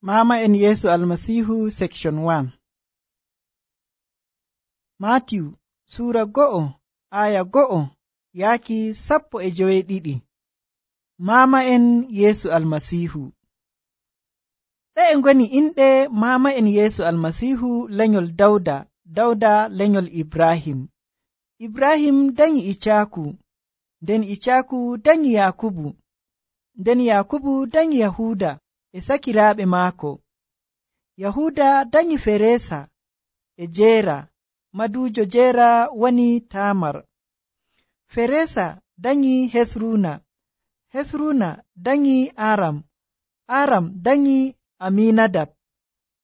Mama en Yeesu Almasiihu section 1. Maatiw Suura 1 aya 1 yaaki 12. Mama en Yeesu Almasiihu. Ɗe ngoni inɗe mama en Yeesu Almasiihu lenyol Dawda lenyol Ibrahim. Ibrahim danyi Icaaku, nden Icaaku danyi Yakubu, nden Yakubu danyi Yahuda e sakiraaɓe maako. Yahuda danyi Feresa e Jeera, maduujo Jeera woni Tamar. Feresa danyi Hesruna, Hesruna danyi Aram, Aram danyi Aminadab,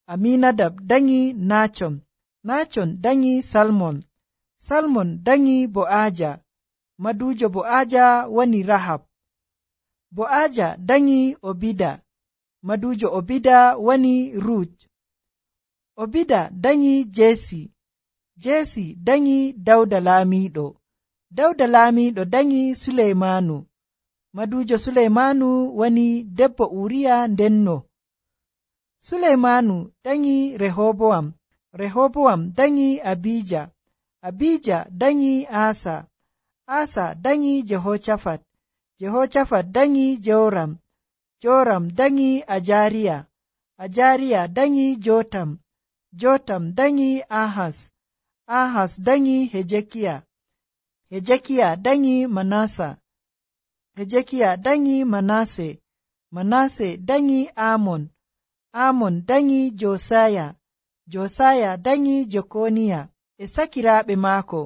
Aminadab danyi Nachon, Nachon danyi Salmon, Salmon danyi Bo'aaja, maduujo Bo'aaja woni Rahab. Bo'aaja danyi Obida, maduujo Obida woni Rut. Obida danyi Jesi, Jesi danyi Dawda laamiiɗo, Dawda laamiiɗo danyi Suleymanu, maduujo Suleymanu woni debbo Uriya ndenno. Suleymanu danyi Rehobowam, Rehobowam danyi Abija, Abija danyi Asa, Asa danyi Jehoshafat, Jehoshafat danyi Joram, Joram danyi Ajariya, Ajariya danyi Jotam, Jotam danyi Ahaz, Ahaz danyi Hezekiya, Hezekiya danyi Manasa, Hezekiya danyi Manase, Manase danyi Amon, Amon danyi Josaya, Josaya danyi Jekoniya e sakiraaɓe maako.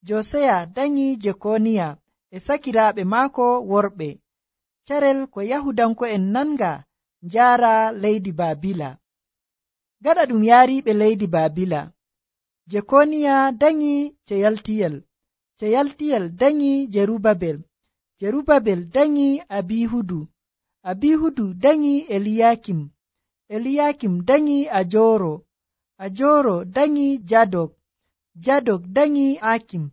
Josaya danyi Jekoniya e sakiraaɓe maako worɓe. Carel ko Yahudanko'en nanga njaara leydi Baabila. Gaɗa ɗum yaariiɓe leydi Baabila, Jekoniya danyi Ceyaltiyel, Ceyaltiyel danyi Jerubabel, Jerubabel danyi Abihudu, Abihudu danyi Eliyakim, Eliyakim danyi Ajoro, Ajoro danyi Jadok, Jadok danyi Akim,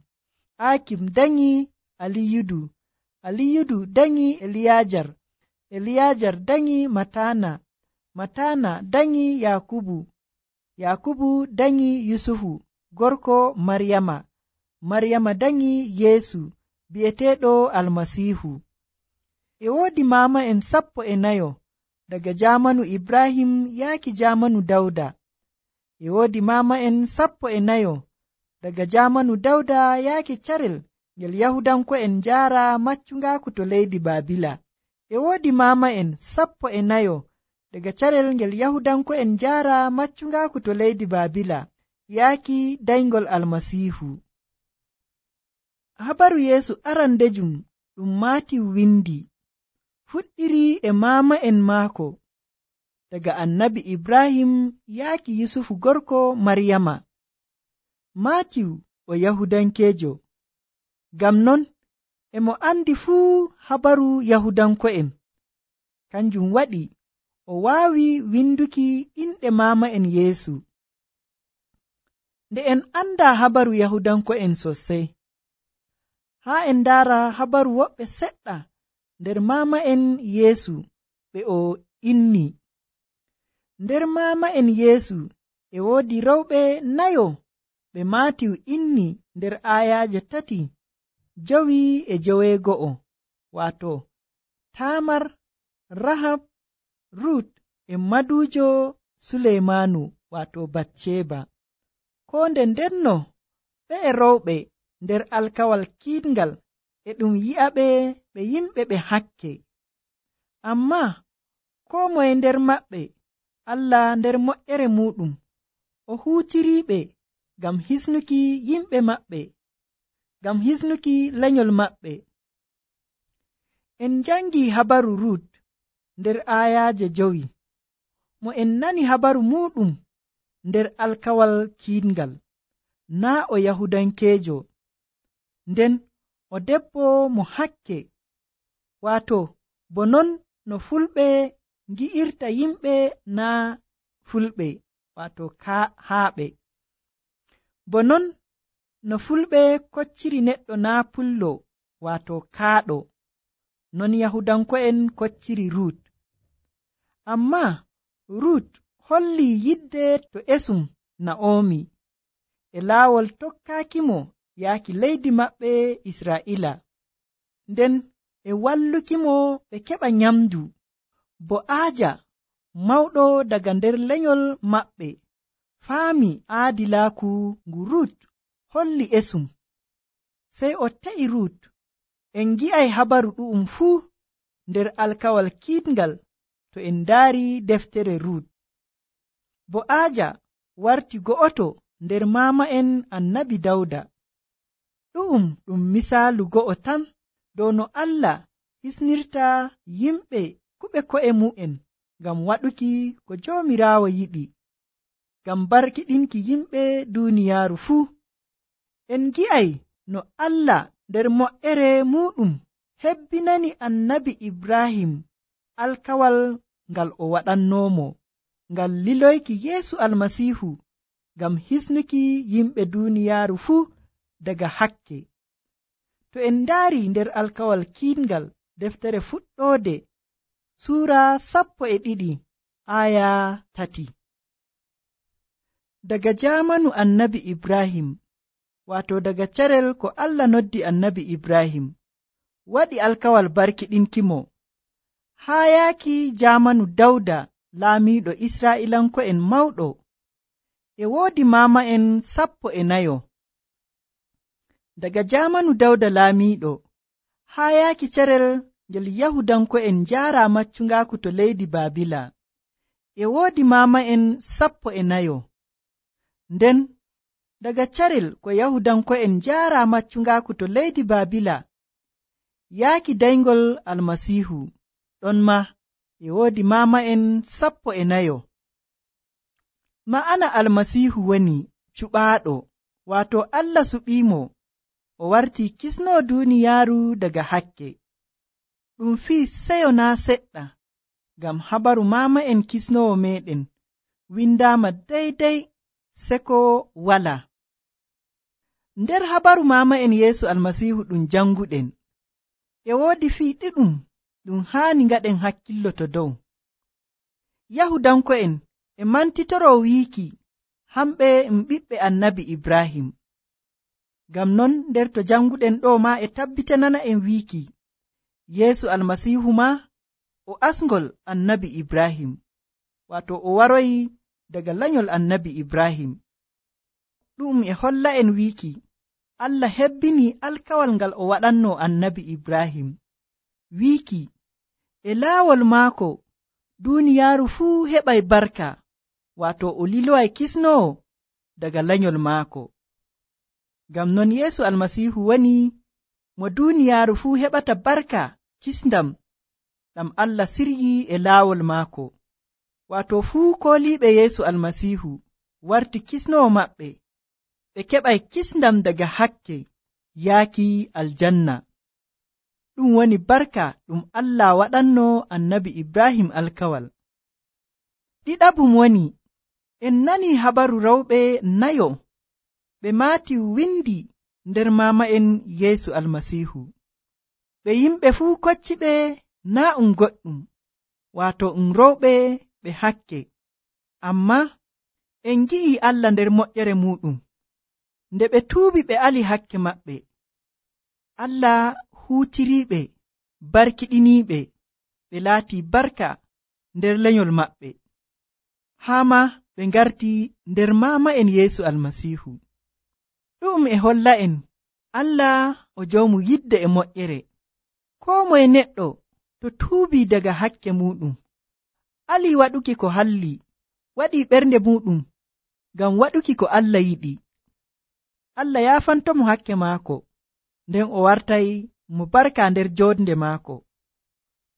Akim danyi Aliyudu, Aliyudu danyi Eliyajar, Eliyajar danyi Matana, Matana danyi Yakubu, Yakubu danyi Yusufu gorko Maryama, Maryama danyi Yeesu bi'eteeɗo Almasiihu. E woodi mama en 14 daga jamanu Ibrahim yaaki jamanu Dawda. E woodi mama en 14 daga jamanu Dawda yaaki carel ngel Yahudanko'en njaara maccungaaku to leydi Baabila. E woodi mama en 14 daga carel ngel Yahudanko'en njaara maccungaaku to leydi Baabila yaaki dayngol Almasiihu. Habaru Yeesu arandejum ɗum Maatiw windi fuɗɗiri e mama en maako daga annabi Ibrahim yaaki Yusufu gorko Maryama. Maatiw o Yahudankeejo, ngam non emo andi fuu habaru Yahudanko'en. Kanjum waɗi o waawi winduki inɗe mama en Yeesu. Nde en anda habaru Yahudanko'en sosai, haa en ndaara habaru woɓɓe seɗɗa nder mama en Yeesu ɓe o inni. Nder mama en Yeesu e woodi rewɓe 4 ɓe Maatiw inni nder ayaaje 3, 5 e 9, waato Tamar, Rahab, Rut e maduujo Suleymanu waato Batsheba. Ko nde ndenno ɓe rewɓe nder alkawal kiiɗngal e ɗum yi'aɓe ɓe yimɓe ɓe hakke. Ammaa koo moye nder maɓɓe Allah nder moƴƴere muɗum o huutiriiɓe ngam hisnuki yimɓe maɓɓe, ngam hisnuki lenyol maɓɓe. En jangi habaru Rut nder ayaaje 5. Mo en nani habaru muɗum nder alkawal kiiɗngal, naa o Yahudankeejo, nden o debbo mo hakke, waato bo non no fulɓe ngi'irta yimɓe naa fulɓe, waato haaɓe. Bo non no fulɓe kocciri neɗɗo naa pullo, waato kaaɗo, non Yahudanko'en kocciri Rut. Ammaa Rut holli yidde to esum Na'omi e laawol tokkaakimo yaaki leydi maɓɓe Israa'ila, nden e wallukimo ɓe keɓa nyamdu. Bo'aaja mawɗo daga nder lenyol maɓɓe faami aadilaaku ngu Rut holli esum, sey o te'i Rut. En ngi'ay habaru ɗu'um fuu nder alkawal kiiɗngal to en ndaari deftere Rut. Bo'aaja warti go'oto nder maama'en Annabi Dawda. Ɗu'um ɗum misaalu go'o tan dow no Allah hisnirta yimɓe kuɓe ko'e mu'en ngam waɗuki ko Joomiraawo yiɗi, ngam barkiɗinki yimɓe duuniyaaru fuu. En ngi'ay no Allah nder moƴƴere muɗum hebbinani Annabi Ibrahim alkawal ngal o waɗannoomo ngal liloyki Yeesu Almasiihu ngam hisnuki yimɓe duuniyaaru fuu daga hakke. To en ndaari nder alkawal kiiɗngal deftere fuɗɗoode suura 12 aya 3. Daga jaamanu Annabi Ibrahim, wato daga carel ko Allah noddi Annabi Ibrahim, waɗi alkawal barkiɗinkimo, haa yaaki jaamanu Dawda laamiiɗo Israa'ilanko'en mawɗo, e woodi maama'en 14. Daga jaamanu Dawda laamiiɗo haa yaaki carel ngel Yahudanko'en njaara maccungaaku to leydi Baabila, e woodi maama'en 14. Nden daga carel ko Yahudanko'en njaara maccungaaku to leydi Baabila yaaki dayngol Almasiihu, ɗon ma e woodi maama'en 14. Ma'ana Almasiihu woni cuɓaaɗo, waato Allah suɓiimo o wartii kisnoo duuniyaaru daga hakke. Ɗum fii seyo naa seɗɗa, ngam habaru maama'en kisnoowo meeɗen windaama daydey seko walaa. Nder habaru maama'en Yeesu Almasiihu ɗum janguɗen, e woodi fii ɗiɗum ɗum haani ngaɗen hakkillo to dow. Yahudanko'en e mantitoroo wiiki hamɓe ɓiɓɓe Annabi Ibrahim. Ngam non nder to janguɗen ɗo maa e tabbitanana en wiiki Yeesu Almasiihu maa o asngol Annabi Ibrahim, wato o waroyi daga lanyol Annabi Ibrahim. Ɗum e holla en wiiki Allah hebbini alkawal ngal o waɗanno Annabi Ibrahim, wiiki e laawol maako duuniyaaru fuu heɓay barka, wato o liloway kisnoowo daga lanyol maako. Ngam non Yeesu Almasiihu woni mo duuniyaaru fuu heɓata barka kisndam ɗam Allah siryi e laawol maako, wato fuu kooliiɓe Yeesu Almasiihu warti kisnoowo maɓɓe, ɓe keɓay kisndam daga hakke yaaki aljanna. Ɗum woni barka ɗum Allah waɗanno Annabi Ibrahim alkawal. Ɗiɗabum woni en nani habaru rewɓe 4 ɓe maati windi nder maama'en Yeesu Almasiihu. Ɓe yimɓe fuu kocciɓe naa goɗɗum, wato rewɓe ɓe hakke, amma en ngi'i Allah nder moƴƴere muɗum nde ɓe tuubi ɓe ali hakke maɓɓe. Allah huutiriiɓe, barkiɗiniiɓe, ɓe laatii barka nder lenyol maɓɓe, haa ma ɓe ngarti nder maama'en Yeesu Almasiihu. Ɗum e holla en Allah o joomu yidde e moƴƴere. Koo moye neɗɗo to tuubii daga hakke muɗum, alii waɗuki ko halli, waɗii ɓernde muɗum ngam waɗuki ko Allah yiɗi, Allah yaafantomo hakke maako, nden o wartay mo barka nder joodnde maako,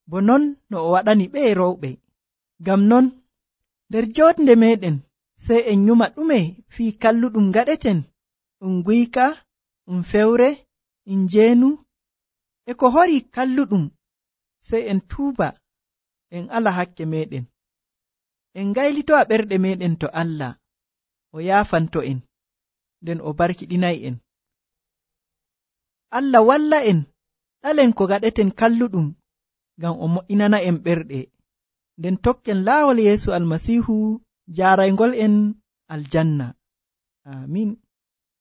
bo non no o waɗani ɓe rewɓe. Ngam non nder joodnde meeɗen sey en nyuma ɗume fii kalluɗum gaɗeten, guyka, fewre, njeenu, e ko hori kalluɗum, sey en tuuba, en ala hakke meɗen, en ngaylitowa ɓerɗe meɗen to Allah, o yaafanto en, nden o barkiɗinay en. Allah walla en, ɗalen ko gaɗeten kalluɗum, ngam o mo'inana en ɓerɗe. nden tokken laawol Yeesu Almasiihu jaaraygol en aljanna. Amin.